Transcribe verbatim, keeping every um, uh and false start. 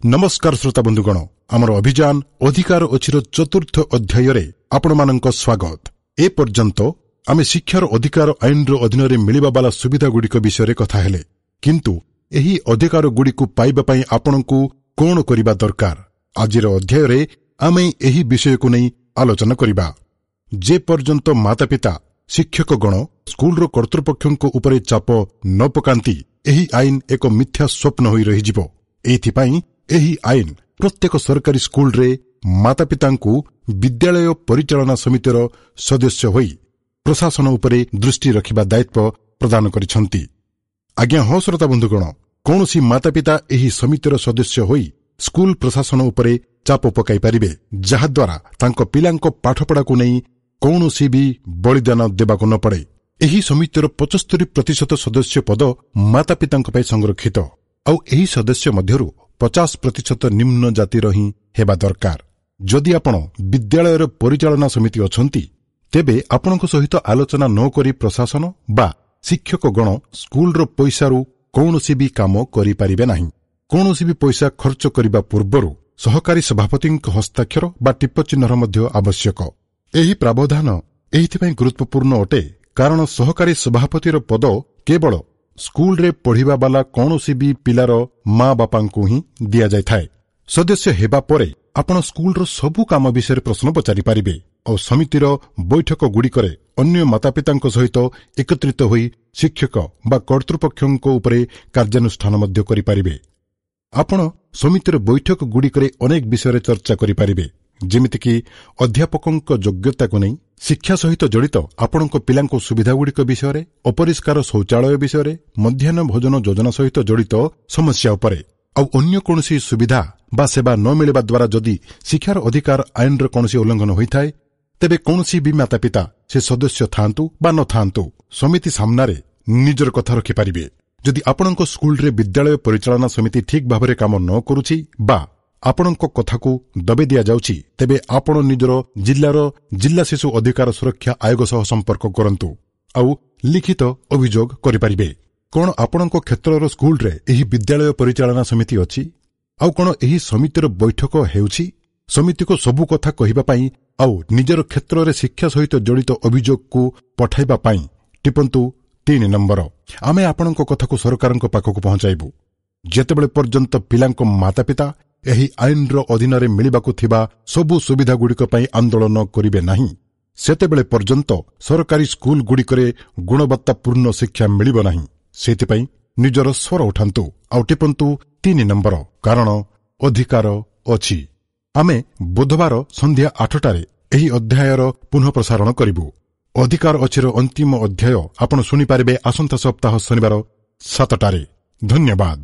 ନମସ୍କାର ଶ୍ରୋତା ବନ୍ଧୁଗଣ, ଆମର ଅଭିଯାନ ଅଧିକାର ଅଛିର ଚତୁର୍ଥ ଅଧ୍ୟାୟରେ ଆପଣମାନଙ୍କ ସ୍ୱାଗତ। ଏ ପର୍ଯ୍ୟନ୍ତ ଆମେ ଶିକ୍ଷାର ଅଧିକାର ଆଇନର ଅଧୀନରେ ମିଳିବା ବାଲା ସୁବିଧାଗୁଡ଼ିକ ବିଷୟରେ କଥା ହେଲେ, କିନ୍ତୁ ଏହି ଅଧିକାରଗୁଡ଼ିକୁ ପାଇବା ପାଇଁ ଆପଣଙ୍କୁ କଣ କରିବା ଦରକାର, ଆଜିର ଅଧ୍ୟାୟରେ ଆମେ ଏହି ବିଷୟକୁ ନେଇ ଆଲୋଚନା କରିବା। ଯେ ପର୍ଯ୍ୟନ୍ତ ମାତାପିତା, ଶିକ୍ଷକଗଣ ସ୍କୁଲର କର୍ତ୍ତୃପକ୍ଷଙ୍କ ଉପରେ ଚାପ ନ ପକାନ୍ତି, ଏହି ଆଇନ ଏକ ମିଥ୍ୟା ସ୍ୱପ୍ନ ହୋଇ ରହିଯିବ। ଏଇଥିପାଇଁ ଏହି ଆଇନ ପ୍ରତ୍ୟେକ ସରକାରୀ ସ୍କୁଲରେ ମାତାପିତାଙ୍କୁ ବିଦ୍ୟାଳୟ ପରିଚାଳନା ସମିତିର ସଦସ୍ୟ ହୋଇ ପ୍ରଶାସନ ଉପରେ ଦୃଷ୍ଟି ରଖିବା ଦାୟିତ୍ୱ ପ୍ରଦାନ କରିଛନ୍ତି। ଆଜ୍ଞା ହଁ ଶ୍ରୋତା ବନ୍ଧୁଗଣ, କୌଣସି ମାତାପିତା ଏହି ସମିତିର ସଦସ୍ୟ ହୋଇ ସ୍କୁଲ ପ୍ରଶାସନ ଉପରେ ଚାପ ପକାଇ ପାରିବେ, ଯାହାଦ୍ୱାରା ତାଙ୍କ ପିଲାଙ୍କ ପାଠପଢ଼ାକୁ ନେଇ କୌଣସି ବି ବଳିଦାନ ଦେବାକୁ ନ ପଡ଼େ। ଏହି ସମିତିର ପଚସ୍ତରୀ ପ୍ରତିଶତ ସଦସ୍ୟ ପଦ ମାତାପିତାଙ୍କ ପାଇଁ ସଂରକ୍ଷିତ, ଆଉ ଏହି ସଦସ୍ୟ ମଧ୍ୟରୁ ପଚାଶ ପ୍ରତିଶତ ନିମ୍ନ ଜାତିର ହିଁ ହେବା ଦରକାର। ଯଦି ଆପଣ ବିଦ୍ୟାଳୟର ପରିଚାଳନା ସମିତି ଅଛନ୍ତି, ତେବେ ଆପଣଙ୍କ ସହିତ ଆଲୋଚନା ନ କରି ପ୍ରଶାସନ ବା ଶିକ୍ଷକଗଣ ସ୍କୁଲର ପଇସାରୁ କୌଣସି ବି କାମ କରିପାରିବେ ନାହିଁ। କୌଣସି ବି ପଇସା ଖର୍ଚ୍ଚ କରିବା ପୂର୍ବରୁ ସହକାରୀ ସଭାପତିଙ୍କ ହସ୍ତାକ୍ଷର ବା ଟିପଚିହ୍ନର ମଧ୍ୟ ଆବଶ୍ୟକ। ଏହି ପ୍ରାବଧାନ ଏଇଥିପାଇଁ ଗୁରୁତ୍ୱପୂର୍ଣ୍ଣ ଅଟେ, କାରଣ ସହକାରୀ ସଭାପତିର ପଦ କେବଳ ସ୍କୁଲରେ ପଢ଼ିବା ବାଲା କୌଣସି ବି ପିଲାର ମା ବାପାଙ୍କୁ ହିଁ ଦିଆଯାଇଥାଏ। ସଦସ୍ୟ ହେବା ପରେ ଆପଣ ସ୍କୁଲର ସବୁ କାମ ବିଷୟରେ ପ୍ରଶ୍ନ ପଚାରିପାରିବେ, ଆଉ ସମିତିର ବୈଠକଗୁଡ଼ିକରେ ଅନ୍ୟ ମାତାପିତାଙ୍କ ସହିତ ଏକତ୍ରିତ ହୋଇ ଶିକ୍ଷକ ବା କର୍ତ୍ତୃପକ୍ଷଙ୍କ ଉପରେ କାର୍ଯ୍ୟାନୁଷ୍ଠାନ ମଧ୍ୟ କରିପାରିବେ। ଆପଣ ସମିତିର ବୈଠକଗୁଡ଼ିକରେ ଅନେକ ବିଷୟରେ ଚର୍ଚ୍ଚା କରିପାରିବେ, ଯେମିତିକି ଅଧ୍ୟାପକଙ୍କ ଯୋଗ୍ୟତାକୁ ନେଇ, ଶିକ୍ଷା ସହିତ ଜଡ଼ିତ ଆପଣଙ୍କ ପିଲାଙ୍କ ସୁବିଧାଗୁଡ଼ିକ ବିଷୟରେ, ଅପରିଷ୍କାର ଶୌଚାଳୟ ବିଷୟରେ, ମଧ୍ୟାହ୍ନ ଭୋଜନ ଯୋଜନା ସହିତ ଜଡ଼ିତ ସମସ୍ୟା ଉପରେ, ଆଉ ଅନ୍ୟ କୌଣସି ସୁବିଧା ବା ସେବା ନ ମିଳିବା ଦ୍ୱାରା ଯଦି ଶିକ୍ଷାର ଅଧିକାର ଆଇନର କୌଣସି ଉଲ୍ଲଂଘନ ହୋଇଥାଏ, ତେବେ କୌଣସି ବି ମାତାପିତା, ସେ ସଦସ୍ୟ ଥାଆନ୍ତୁ ବା ନଥାଆନ୍ତୁ, ସମିତି ସାମ୍ନାରେ ନିଜର କଥା ରଖିପାରିବେ। ଯଦି ଆପଣଙ୍କ ସ୍କୁଲରେ ବିଦ୍ୟାଳୟ ପରିଚାଳନା ସମିତି ଠିକ୍ ଭାବରେ କାମ ନ କରୁଛି ବା ଆପଣଙ୍କ କଥାକୁ ଦବେଇ ଦିଆଯାଉଛି, ତେବେ ଆପଣ ନିଜର ଜିଲ୍ଲାର ଜିଲ୍ଲା ଶିଶୁ ଅଧିକାର ସୁରକ୍ଷା ଆୟୋଗ ସହ ସମ୍ପର୍କ କରନ୍ତୁ ଆଉ ଲିଖିତ ଅଭିଯୋଗ କରିପାରିବେ। କଣ ଆପଣଙ୍କ କ୍ଷେତ୍ରର ସ୍କୁଲରେ ଏହି ବିଦ୍ୟାଳୟ ପରିଚାଳନା ସମିତି ଅଛି? ଆଉ କଣ ଏହି ସମିତିର ବୈଠକ ହେଉଛି? ସମିତିକୁ ସବୁ କଥା କହିବା ପାଇଁ ଆଉ ନିଜର କ୍ଷେତ୍ରରେ ଶିକ୍ଷା ସହିତ ଜଡ଼ିତ ଅଭିଯୋଗକୁ ପଠାଇବା ପାଇଁ ଟିପନ୍ତୁ ତିନି ନମ୍ବର। ଆମେ ଆପଣଙ୍କ କଥାକୁ ସରକାରଙ୍କ ପାଖକୁ ପହଞ୍ଚାଇବୁ। ଯେତେବେଳେ ପର୍ଯ୍ୟନ୍ତ ପିଲାଙ୍କ ମାତାପିତା ଏହି ଆଇନର ଅଧୀନରେ ମିଳିବାକୁ ଥିବା ସବୁ ସୁବିଧାଗୁଡ଼ିକ ପାଇଁ ଆନ୍ଦୋଳନ କରିବେ ନାହିଁ, ସେତେବେଳେ ପର୍ଯ୍ୟନ୍ତ ସରକାରୀ ସ୍କୁଲଗୁଡ଼ିକରେ ଗୁଣବତ୍ତାପୂର୍ଣ୍ଣ ଶିକ୍ଷା ମିଳିବ ନାହିଁ। ସେଥିପାଇଁ ନିଜର ସ୍ୱର ଉଠାନ୍ତୁ ଆଉ ଟିପନ୍ତୁ ତିନି ନମ୍ବର, କାରଣ ଅଧିକାର ଅଛି। ଆମେ ବୁଧବାର ସନ୍ଧ୍ୟା ଆଠଟାରେ ଏହି ଅଧ୍ୟାୟର ପୁନଃ ପ୍ରସାରଣ କରିବୁ। ଅଧିକାର ଅଛିର ଅନ୍ତିମ ଅଧ୍ୟାୟ ଆପଣ ଶୁଣିପାରିବେ ଆସନ୍ତା ସପ୍ତାହ ଶନିବାର ସାତଟାରେ। ଧନ୍ୟବାଦ।